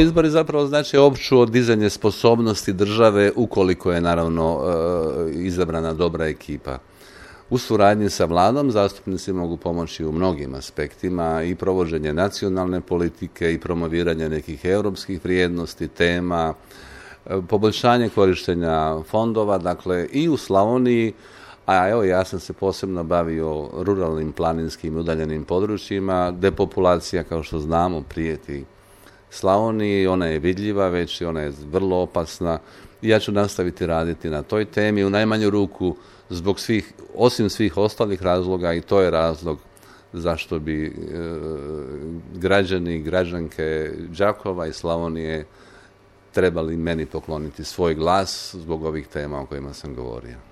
Izbori zapravo znači opću dizanje sposobnosti države ukoliko je naravno izabrana dobra ekipa. U suradnji sa vladom zastupnici mogu pomoći u mnogim aspektima i provođenje nacionalne politike i promoviranje nekih europskih vrijednosti, tema, poboljšanje korištenja fondova, dakle i u Slavoniji, a evo ja sam se posebno bavio ruralnim, planinskim i udaljenim područjima. Depopulacija, kao što znamo, prijeti Slavoniji, ona je vidljiva već i ona je vrlo opasna i ja ću nastaviti raditi na toj temi u najmanju ruku zbog svih, osim svih ostalih razloga, i to je razlog zašto bi građani i građanke Đakova i Slavonije trebali meni pokloniti svoj glas zbog ovih tema o kojima sam govorio.